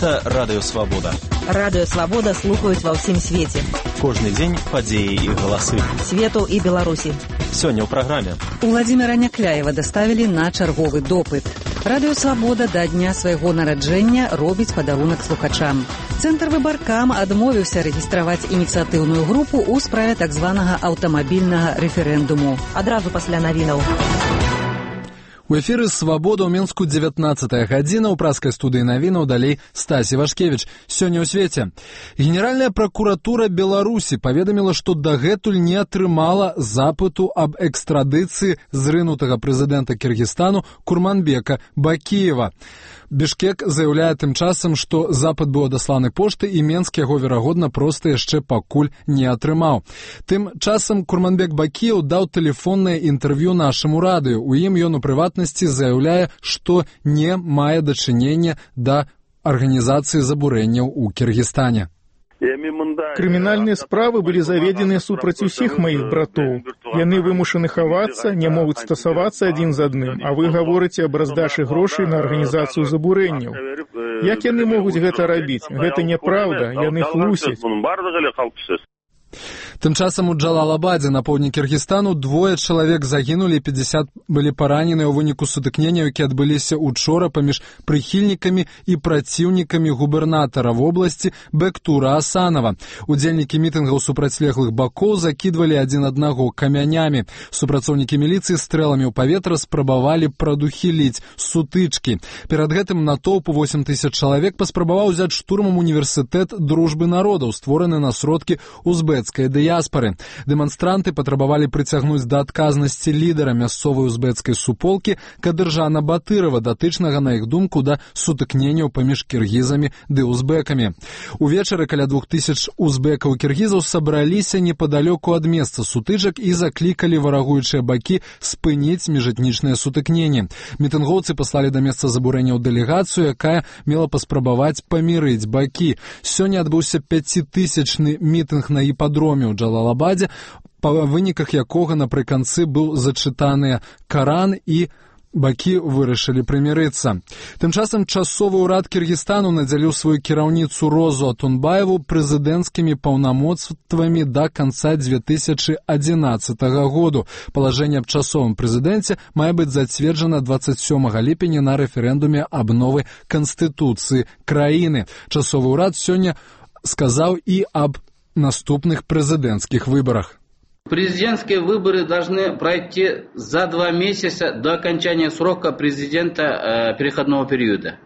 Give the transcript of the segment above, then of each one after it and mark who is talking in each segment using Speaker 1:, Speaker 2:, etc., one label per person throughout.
Speaker 1: Гэта Радыё Свабода.
Speaker 2: Радыё Свабода слухаюць ва ўсім свеце.
Speaker 1: Кожны дзень падзеі і галасы.
Speaker 2: Свету і Беларусі.
Speaker 1: Сёння ў праграме.
Speaker 3: Уладзіміра Някляева даставілі на чарговы допыт. Радыё Свабода да дня свайго нараджэння робіць падарунак слухачам. Цэнтр Выбаркам адмовіўся рэгістраваць ініцыятыўную групу ў справе так званага аўтамабільнага рэферэндуму.
Speaker 2: Адразу пасля навінаў.
Speaker 4: У эфіры «Свабода» ў Мінску 19-я гадзіна, ў праскай студыі навінаў далей Стасі Вашкевіч. Сёння ў свеце. Генеральная пракуратура Беларусі паведаміла, што дагэтуль не атрымала запыту аб экстрадыцыі зрынутага прэзідэнта Кіргізстану Курманбека Бакіева. Бішкек заяўляе тым часам, што запыт быў адасланы поштай і Менск яго, верагодна, проста яшчэ пакуль не атрымаў. Тым часам Курманбек Бакіев даў тэлефоннае інтэрв'ю нашаму радыё. У ім ён у прыватнасці заяўляе, што не мае дачынення да арганізацыі забурэнняў у Кіргізстане.
Speaker 5: Крымінальныя справы былі заведзены супраць усіх маіх братоў. Яны вымушаны хавацца, не могуць стасавацца адзін з адным, а вы гаворыце аб раздачы грошай на арганізацыю забурэнняў. Як яны могуць гэта рабіць? Гэта няпраўда, яны хлусяць.
Speaker 4: Тым часам у Джалалабадзе на поўдні Кіргізстану 2 чалавек загінулі, 50 былі параненыя ў выніку сутыкнення, якія адбыліся учора паміж прыхільнікамі і праціўнікамі губернатара вобласці Бектура Асанова. Удзельнікі мітынгаў супрацьлеглых бакоў закідвалі адзін аднаго камянямі. Супрацоўнікі міліцыі стрэламі ў паветра спрабавалі прадухіліць сутычкі. Перад гэтым натоўп 8 тысяч чалавек паспрабаваў узяць штурмам універсітэт дружбы народаў, створаны на сродкі узбецкай дыяспары. Дэманстранты патрабавалі прыцягнуць да адказнасці лідара мясцовай узбецкай суполкі Кадыржана Батырова, датычнага, на іх думку, да сутыкненняў паміж кіргізамі ды узбекамі. Увечары каля 2000 узбекаў і кіргізаў сабраліся непадалёку ад месца сутычак і заклікалі варагуючыя бакі спыніць міжэтнічныя сутыкненні. Мітынгоўцы паслалі да месца забурэнняў дэлегацыю, якая мела паспрабаваць памірыць бакі. Сёння адбыўся 5000-ны мітынг на іпадроме ў Джалалабадзе, па выніках якога напрыканцы быў зачытаны Каран і бакі вырашылі прымірыцца. Тым часам часовы ўрад Кіргізстану надзяліў сваю кіраўніцу Розу Атунбаеву прэзідэнцкімі паўнамоцтвамі да канца 2011 году. Палажэнне аб часовым прэзідэнце мае быць зацверджана 27 ліпеня на рэферэндуме аб новай канстытуцыі краіны. Часовы ўрад сёння сказаў і аб наступных прэзідэнцкіх выбарах.
Speaker 6: Президентские выборы должны пройти за 2 месяца до окончания срока президента переходного периода.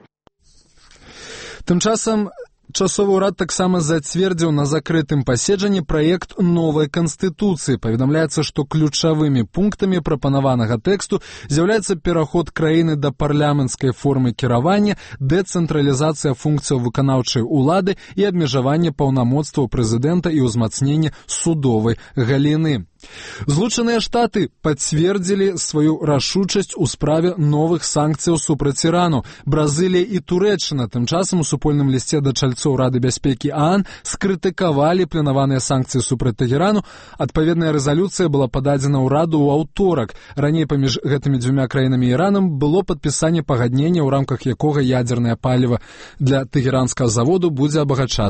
Speaker 4: Тым часам часовы ўрад таксама зацвердзіў на закрытым паседжанні праект новай канстытуцыі. Паведамляецца, што ключавымі пунктамі прапанаванага тэксту з'яўляецца пераход краіны да парламенцкай формы кіравання, дэцэнтралізацыя функцыяў выканаўчай улады і абмежаванне паўнамоцтваў прэзідэнта і ўзмацненне судовай галіны. Злучаныя Штаты пацвердзілі сваю рашучасць у справе новых санкцыяў супраць Ірану. Бразылія і Турэччына тым часам у супольным лісце да чальцоў Рады бяспекі ААН скрытыкавалі планаваныя санкцыі супраць Тэгерану. Адпаведная рэзалюцыя была пададзена ў Раду ў аўторак. Раней паміж гэтымі 2 краінамі і Іранам было падпісанне пагаднення, ў рамках якога ядзернае паліва для тэгеранскага заводу будзе абагачацца